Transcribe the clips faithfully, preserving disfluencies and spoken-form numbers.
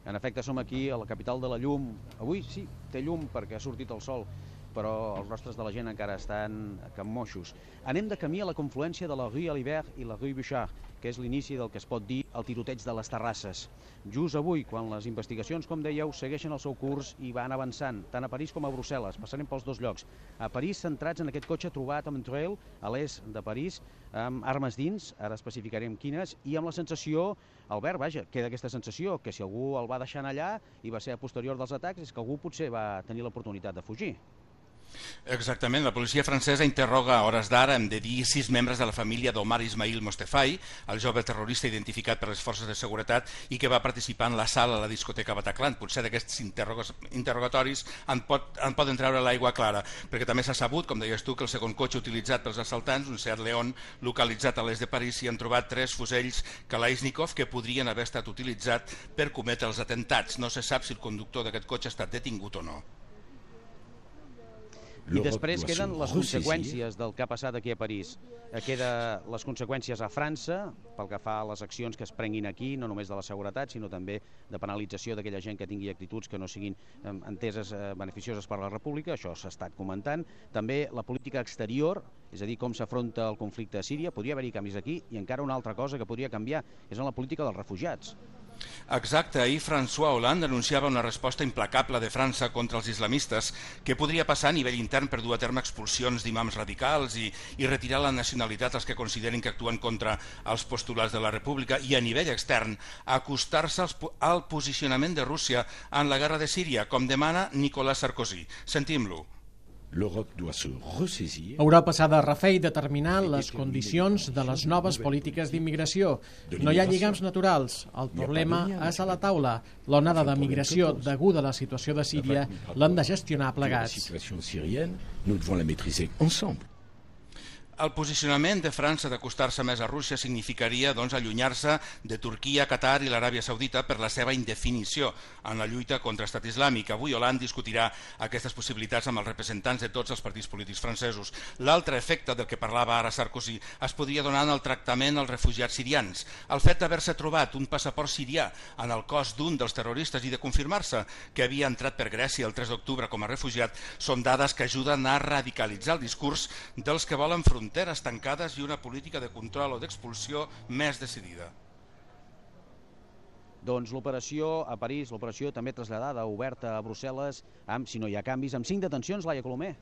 En efecte, som aquí a la capital de la llum. Avui sí, té llum perquè ha sortit el sol, però els rostres de la gent encara estan cammoixos. Anem de camí a la confluència de la rue Alibert i la rue Bouchard, que és l'inici del que es pot dir el tiroteig de les terrasses. Just avui, quan les investigacions, com dèieu, segueixen el seu curs i van avançant, tant a París com a Brussel·les, passarem pels dos llocs. A París, centrats en aquest cotxe trobat a Montreuil, a l'est de París, amb armes dins, ara especificarem quines, i amb la sensació, Albert, vaja, queda aquesta sensació, que si algú el va deixar allà i va ser a posterior dels atacs, és que algú potser va tenir l'oportunitat de fugir. Exactament, la policia francesa interroga a hores d'ara, hem de dir, sis membres de la família d'Omar Ismail Mostefai, el jove terrorista identificat per les forces de seguretat i que va participar en l'assalt a la discoteca Bataclan. Potser d'aquests interrogatoris en, pot, en poden treure l'aigua clara, perquè també s'ha sabut, com deies tu, que el segon cotxe utilitzat pels assaltants, un Seat León, localitzat a l'est de París, s'hi han trobat tres fusells Kalashnikov que podrien haver estat utilitzats per cometre els atentats. No se sap si el conductor d'aquest cotxe ha estat detingut o no. I després queden les conseqüències del que ha passat aquí a París. Queden les conseqüències a França, pel que fa a les accions que es prenguin aquí, no només de la seguretat, sinó també de penalització d'aquella gent que tingui actituds que no siguin enteses beneficioses per a la República, això s'ha estat comentant. També la política exterior, és a dir, com s'afronta el conflicte a Síria, podria haver-hi canvis aquí, i encara una altra cosa que podria canviar, és en la política dels refugiats. Exacte, ahir François Hollande anunciava una resposta implacable de França contra els islamistes que podria passar a nivell intern per dur a terme expulsions d'imams radicals i, i retirar la nacionalitat als que consideren que actuen contra els postulats de la República i a nivell extern acostar-se al, al posicionament de Rússia en la guerra de Síria, com demana Nicolas Sarkozy. Sentim-lo. Europa s'ha de refer i determinar les condicions de les noves polítiques d'immigració. No hi ha lligams naturals. El problema és a la taula. L'onada de migració deguda a la situació de Síria l'hem de gestionar plegats. El posicionament de França d'acostar-se més a Rússia significaria doncs, allunyar-se de Turquia, Qatar i l'Aràbia Saudita per la seva indefinició en la lluita contra l'estat islàmic. Avui Hollande discutirà aquestes possibilitats amb els representants de tots els partits polítics francesos. L'altre efecte del que parlava ara Sarkozy es podria donar en el tractament als refugiats sirians. El fet d'haver-se trobat un passaport sirià en el cos d'un dels terroristes i de confirmar-se que havia entrat per Grècia el tres d'octubre com a refugiat són dades que ajuden a radicalitzar el discurs dels que volen fronteres fronteres tancades i una política de control o d'expulsió més decidida. Doncs l'operació a París, l'operació també traslladada, oberta a Brussel·les, amb, si no hi ha canvis, amb cinc detencions, Laia Colomer.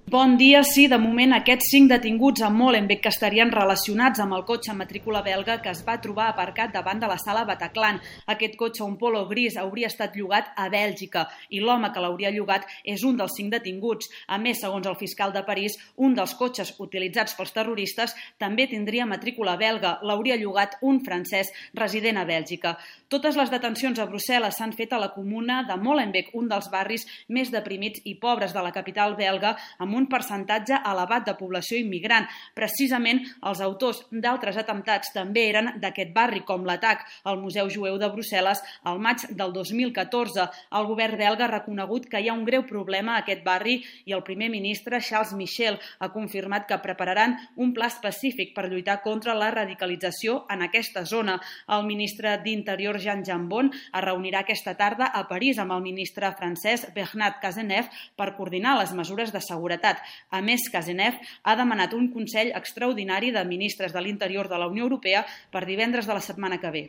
Bon dia. Sí, de moment aquests cinc detinguts a Molenbeek que estarien relacionats amb el cotxe matrícula belga que es va trobar aparcat davant de la sala Bataclan. Aquest cotxe, un Polo gris, hauria estat llogat a Bèlgica i l'home que l'hauria llogat és un dels cinc detinguts. A més, segons el fiscal de París, un dels cotxes utilitzats pels terroristes també tindria matrícula belga. L'hauria llogat un francès resident a Bèlgica. Totes les detencions a Brussel·les s'han fet a la comuna de Molenbeek, un dels barris més deprimits i pobres de la capital belga, amb un percentatge elevat de població immigrant. Precisament els autors d'altres atemptats també eren d'aquest barri, com l'atac al Museu Jueu de Brussel·les al maig del dos mil catorze. El govern belga ha reconegut que hi ha un greu problema a aquest barri i el primer ministre Charles Michel ha confirmat que prepararan un pla específic per lluitar contra la radicalització en aquesta zona. El ministre d'Interior Jean Jambon es reunirà aquesta tarda a París amb el ministre francès Bernard Cazeneuve per coordinar les mesures de seguretat. A més, Cazeneuve ha demanat un Consell extraordinari de Ministres de l'Interior de la Unió Europea per divendres de la setmana que ve.